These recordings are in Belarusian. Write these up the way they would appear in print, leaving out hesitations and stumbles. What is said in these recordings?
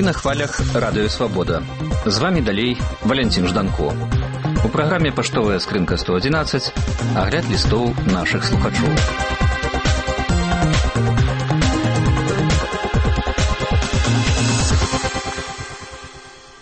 на хвалях Радыё Свабода. З вами далей Валентин Жданко. У праграме «Паштовая скрынка 111» агляд лістоў нашых слухачоў.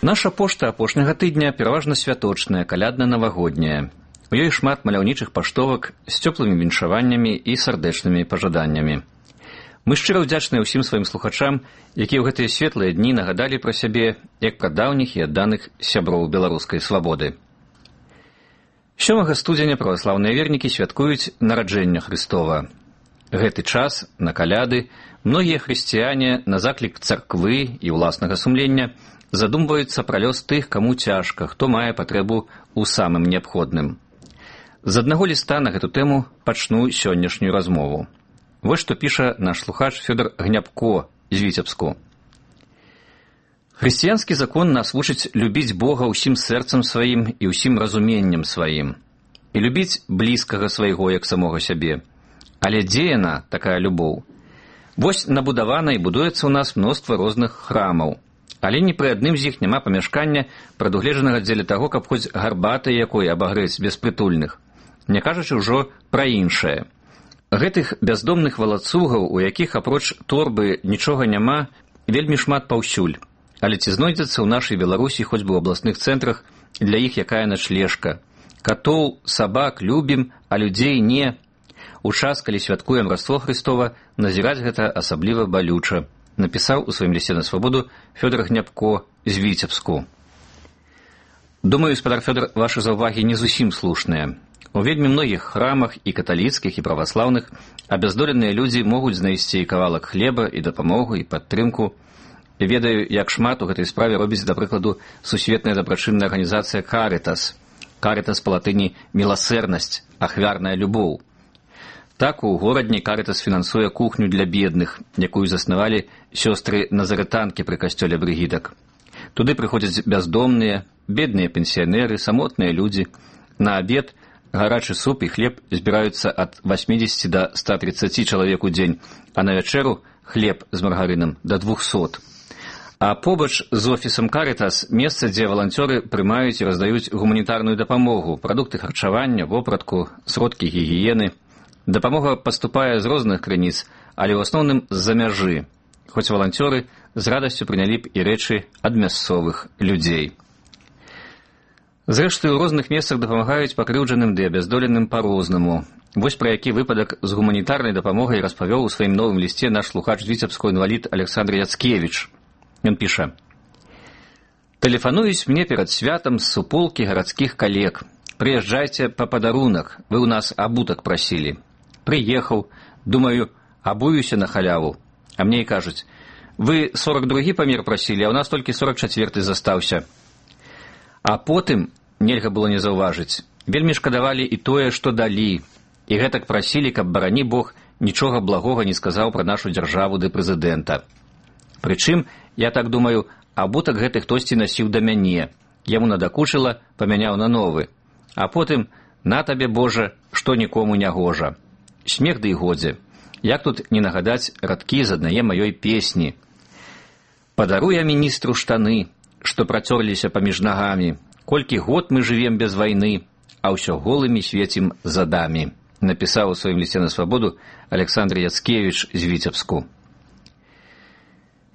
Наша пошта апошняга тыдня пераважна святочная, калядна-навагодняя. У ёй шмат маляўнічых паштовак з цёплымі віншаваннямі і сардэчнымі пажаданнямі. Мы шчыра ўдзячныя ўсім сваім слухачам, якія ў гэтыя светлыя дні нагадалі пра сябе як пра даўніх і адданых сяброў беларускай свабоды. 7 студзеня праваслаўныя вернікі святкуюць нараджэння Хрыстова. Гэты час, на каляды, многія хрысціяне на заклік царквы і ўласнага сумлення задумваюцца пра лёс тых, каму цяжка, хто мае патрэбу ў самым неабходным. З аднаго ліста на гэту тэму пачну сённяшнюю размову. Вось што піша наш слухач Фёдор Гнябко з Віцебску. Хрысціянскі закон нас вучыць любіць Бога ўсім сэрцам сваім і ўсім разуменнем сваім, і любіць блізкага свайго як самога сябе. Але дзе яна, такая любоў? Вось набудавана і будуецца ў нас мноства розных храмаў, але ні пры адным з іх няма памяшкання, прадугледжанага дзеля таго, каб хоць гарбатай якой абагрэць беспрытульных, не кажучы ўжо пра іншае. Гэтых бяздомных валацугаў, у якіх апроч торбы нічога няма, вельмі шмат паўсюль. Але ці знойдзецца ў нашай Беларусі хоць бы ў абласных цэнтрах для іх якая начлежка? Катоў, сабак любім, а людзей не. У час, калі святкуем Раство Хрыстова, назіраць гэта асабліва балюча, напісаў у сваім лісце на свабоду Фёдор Гнябко з Віцебску. Думаю, спадар Фёдор, вашы заўвагі не зусім слушныя. У вельмі многіх храмах, і каталіцкіх, і праваслаўных, абяздоленыя людзі могуць знайсці і кавалак хлеба, і дапамогу, і падтрымку. Ведаю, як шмат у гэтай справе робіць, да прыкладу, сусветная дабрачынная арганізацыя «Карытас». «Карытас» па-латыні «міласэрнасць», ахвярная любоў. Так, у горадні «Карытас» фінансуе кухню для бедных, якую заснавалі сёстры назарытанкі пры касцёле брыгідак. Туды прыходзяць бяздомныя, бедныя пенсіянеры, самотныя людзі. На абед гарачы суп і хлеб збіраюцца ад 80 да 130 чалавек у дзень, а на вячэру хлеб з маргарынам да 200. А побач з офісам «Карытас» месца, дзе валанцёры прымаюць і раздаюць гуманітарную дапамогу, прадукты харчавання, вопратку, сродкі гігіены. Дапамога паступае з розных крыніц, але ў асноўным з-за мяжы, хоць валанцёры з радасцю прынялі б і рэчы ад мясцовых людзей. Зрэшты, у розных месцах дапамагаюць пакрыўджаным ды абяздоленым па-рознаму. Вось пра які выпадак з гуманітарнай дапамогай распавёў у сваім новым лісце наш слухач з Віцебского інвалід Александр Яцкевіч. Ён піша: «Тэлефануюць мне перад святам з суполкі гарадскіх калег. Прыязджайце па падарунак, вы ў нас абутак прасілі. Прыехаў, думаю, абуюся на халяву. А мне і кажуць: вы 42-гі памер прасілі, а ў нас толькі 44-й застаўся. А потым, нельга было не заўважыць, вельмі шкадавалі і тое, што далі. І гэтак прасілі, каб, барані Бог, нічога благога не сказаў пра нашу дзяржаву ды прэзідэнта. Прычым, я так думаю, абутак гэты хтосьці насіў да мяне. Яму надакучыла, памяняў на новы. А потым, на табе, Божа, што нікому не гожа. Смех ды і годзе. Як тут не нагадаць радкі з аднае маёй песні. Падару я міністру штаны, што працёрліся паміж нагамі. Колькі год мы жывем без вайны, а ўсё голымі свецім задамі», напісаў у сваім лісце на свабоду Александр Яцкевіч з Віцебску.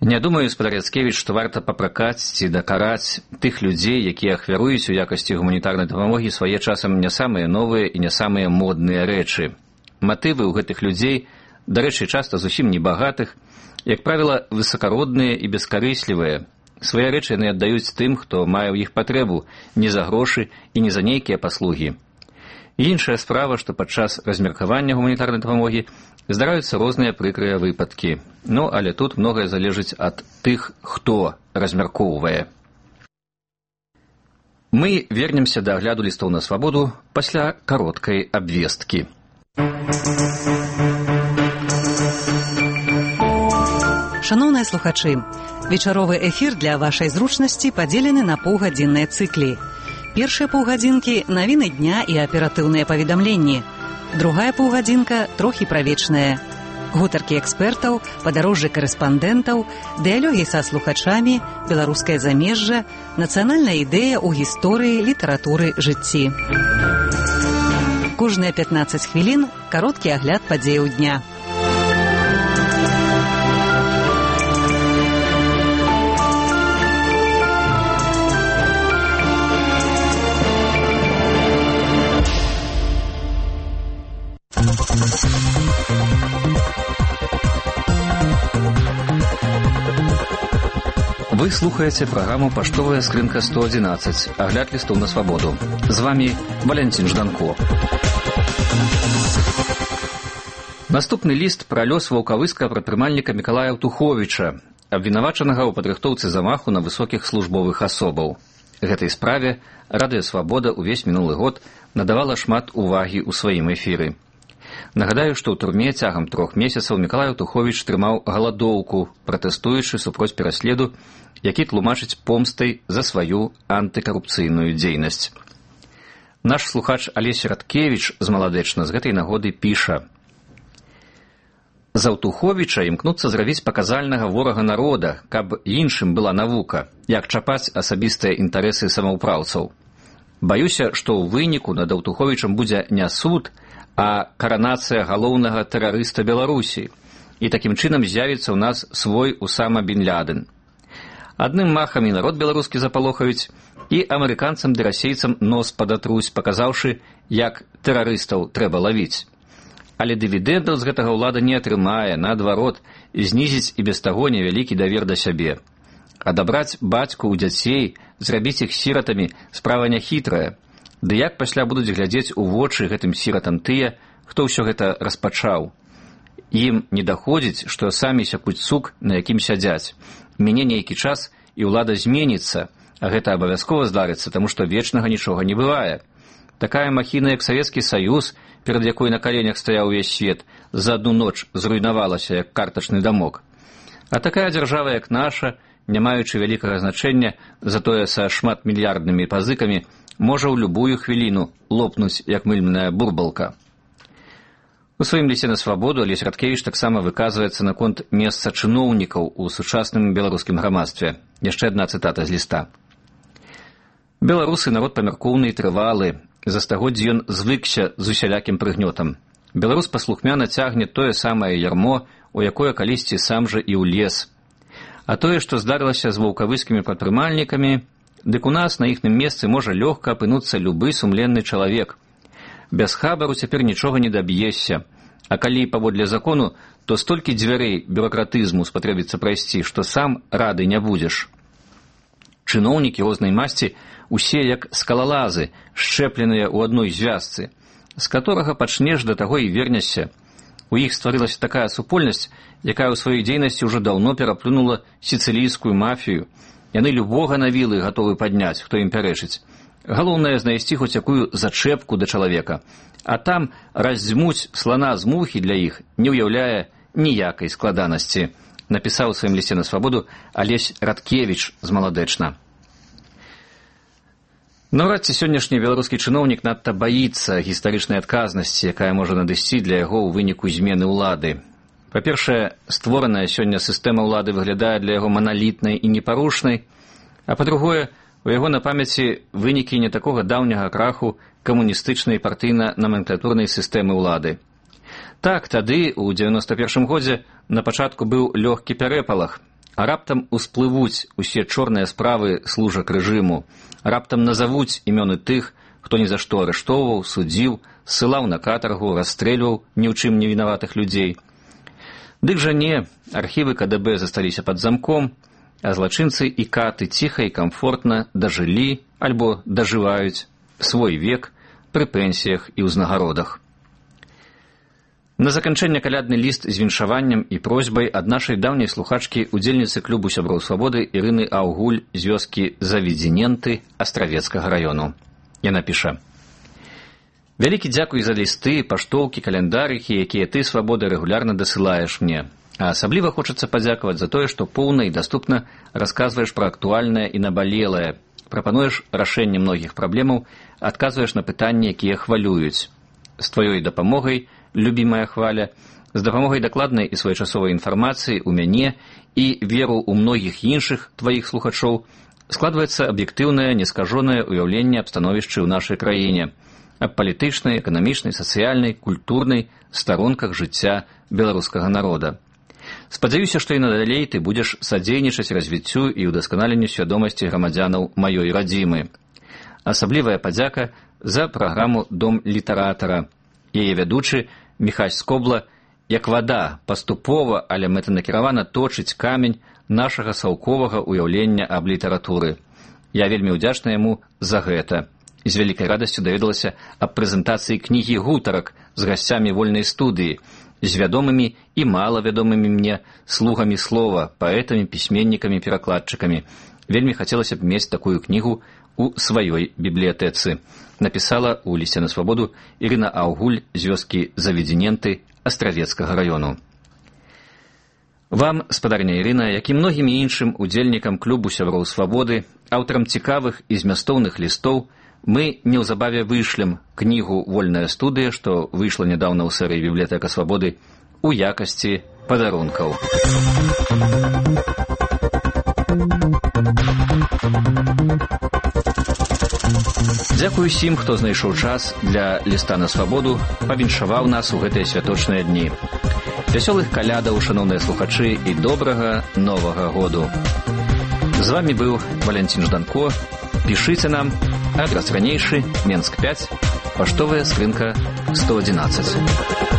Не думаю, спадар Яцкевіч, што варта папракаць ці дакараць тых людзей, якія ахвяруюць у якасці гуманітарнай дапамогі свае часам не самыя новыя і не самыя модныя рэчы. Матывы ў гэтых людзей, дарэчы, часта зусім небагатых, як правіла, высакародныя і бескарыслівыя. Свае рэчы яны аддаюць тым, хто мае ў іх патрэбу, не за грошы і не за нейкія паслугі. Іншая справа, што падчас размеркавання гуманітарнай дапамогі здараюцца розныя прыкрыя выпадкі. Ну, але тут многае залежыць ад тых, хто размяркоўвае. Мы вернемся да агляду лістоў на свабоду пасля кароткай абвесткі. Шаноўныя слухачы, вечаровы эфір для вашай зручнасці падзелены на паўгадзінныя цыклі. Першыя паўгадзінкі – навіны дня і аператыўныя паведамленні. Другая паўгадзінка – трохі пра вечнае. Гутаркі экспертаў, падарожжы карэспандэнтаў, дыялогі са слухачамі, беларускае замежжа, нацыянальная ідэя ў гісторыі, літаратуры, жыцці. Кожныя 15 хвілін кароткі агляд падзеяў дня. Вы слухаеце праграму «Паштовая скрынка 111», агляд лістоў на свабоду. З вами Валянцін Жданко. Наступны ліст пра лёс ваўкавыскага прадпрымальніка Мікалая Аўтуховіча, абвінавачанага ў падрыхтоўцы замаху на высокіх службовых асобаў. Гэтай справе Радыё Свабода ўвесь мінулы год надавала шмат увагі ў сваім эфіры. Нагадаю, што ў турме цягам 3 месяцаў Мікалай Аўтуховіч трымаў галадоўку, пратэстуючы супроць пераследу, які тлумачыць помстай за сваю антыкарупцыйную дзейнасць. Наш слухач Алесь Радкевіч з Маладэчна з гэтай нагоды піша: «З Аўтуховіча імкнуцца зрабіць паказальнага ворага народа, каб іншым была навука, як чапаць асабістыя інтарэсы самаўпраўцаў. Баюся, што ў выніку над Аўтуховічам будзе не суд, а каранацыя галоўнага тэрарыста Беларусі, і такім чынам з'явіцца ў нас свой Усама бін Лядэн. Адным махам і народ беларускі запалохаюць, і амерыканцам ды расейцам нос падатруць, паказаўшы, як тэрарыстаў трэба лавіць. Але дывідэндаў з гэтага ўлада не атрымае, наадварот, знізіць і без таго невялікі давер да сябе. Адабраць бацьку ў дзяцей, зрабіць іх сіратамі справа няхітрая. Ды як пасля будуць глядзець у вочы гэтым сіратам тыя, хто ўсё гэта распачаў? Ім не даходзіць, што самі сякуць сук, на якім сядзяць. Мне нейкі час, і ўлада зменіцца, а гэта абавязкова здарыцца, таму што вечнага нічога не бывае. Такая махіна, як Савецкі Саюз, перад якой на каленях стаяў увесь свет, за адну ноч зруйнавалася, як картачны дамок. А такая дзяржава, як наша, не маючы вялікага значэння, затое са шматмільярднымі пазыкамі, можа ў любую хвіліну лопнуць, як мыльная бурбалка». У сваім лісце на свабоду Алесь Радкевіч таксама выказваецца наконт месца чыноўнікаў у сучасным беларускім грамадстве. Яшчэ адна цытата з ліста. «Беларусы народ памяркоўны і трывалы. За стагоддзі ён звыкся з усялякім прыгнётам. Беларус паслухмяна цягне тое самае ярмо, у якое калісьці сам жа і ўлез. А тое, што здарылася з ваўкавыскімі прадпрымальнікамі, дык у нас на іхным месцы можа лёгка апынуцца любы сумленны чалавек. Без хабару цяпер нічога не даб'ешся, а калі паводле закону, то столькі дзвярэй бюракратызму спатрэбіцца прайсці, што сам рады не будзеш. Чыноўнікі рознай масці усе як скалалазы, шчэпленыя ў адной звязцы, з которага пачнеш да таго і вернешся. У іх стварылася такая супольнасць, якая ў сваёй дзейнасці ўжо даўно пераплюнула сіцылійскую мафію. Яны любога на вілы гатовы падняць, хто ім пярэчыць. Галоўнае знайсці хоць якую зачэпку да чалавека, а там раздзьмуць слана з мухі для іх не ўяўляе ніякай складанасці», напісаў у сваім лісце на свабоду Алесь Радкевіч з Маладэчна. Наўрад ці сённяшні беларускі чыноўнік надта баіцца гістарычнай адказнасці, якая можа надысці для яго ў выніку змены ўлады. Па-першае, створаная сёння сістэма ўлады выглядае для яго маналітнай і непарушнай, а па-другое, у яго на памяці вынікі не такога даўняга краху камуністычнай партыйна-наменклатурнай сістэмы ўлады. Так, тады, у 91 годзе, на пачатку быў лёгкі пярэпалах, а раптам усплывуць усе чорныя справы служак рэжыму, раптам назавуць імёны тых, хто ні за што арыштоўваў, судзіў, ссылаў на катаргу, расстрэльваў ні ў чым невінаватых людзей. Дык жа не, архівы КДБ засталіся пад замком, а злачынцы і каты ціха і камфортна дажылі альбо дажываюць свой век пры пенсіях і ўзнагародах. На заканчэнне калядны ліст з віншаваннем і просьбай ад нашай даўняй слухачкі, удзельніцы клубу сяброў свабоды Ірыны Аўгуль з вёскі Заведзіненты Астравецкага раёну. Яна піша: «Вялікі дзякуй за лісты, паштоўкі, календарыхі, якія ты, свабода, рэгулярна дасылаеш мне. А асабліва хочацца падзякаваць за тое, што поўна і даступна расказваеш пра актуальнае і набалелае, прапануеш рашэнне многіх праблемаў, адказваеш на пытанні, якія хвалююць. З тваёй дапамогай, любімая Хваля, З дапамогай дакладнай і своечасовай інфармацыі ў мяне і веру ў многіх іншых тваіх слухачоў складваецца аб'ектыўнае, нескажонае ўяўленне аб становішчы ў нашай краіне, аб палітычнай, эканамічнай, сацыяльнай, культурнай старонках жыцця беларускага народа. Спадзяюся, што і надалей ты будзеш садзейнічаць развіццю і ўдасканаленню свядомасці грамадзянаў маёй радзімы. Асаблівая падзяка за праграму «Дом літаратара». Яе вядучы Міхась Скобла, як вада, паступова, але мэтанакіравана точыць камень нашага саўковага ўяўлення аб літаратуры. Я вельмі ўдзячна яму за гэта. І з вялікай радасцю даведалася аб прэзентацыі кнігі гутарак з гасцямі вольнай студыі, з вядомымі і малавядомымі мне слугамі слова, паэтамі, пісьменнікамі, перакладчыкамі. Вельмі хацелася б мець такую кнігу у сваёй бібліятэцы. Напісала ў лісце на свабоду Ірына Аўгуль з вёскі Заведзіненты Астравецкага раёну. Вам, спадарня Ірына, як і многім іншым удзельнікам клубу сяброў свабоды, аўтарам цікавых і змястоўных лістоў, мы неўзабаве вышлем кнігу «Вольная студыя», што выйшла нядаўна ў серыі «Бібліятэка свабоды» у якасці падарункаў. Дзякую усім, хто знайшоў час для ліста на свабоду, павіншаваў нас у гэтыя святочныя дні. Вясёлых калядаў, шаноўныя слухачы, і добрага новага году. З вамі быў Валянцін Жданко. Пішыце нам. Адрас ранейшы, Менск 5, паштовая скрынка 111.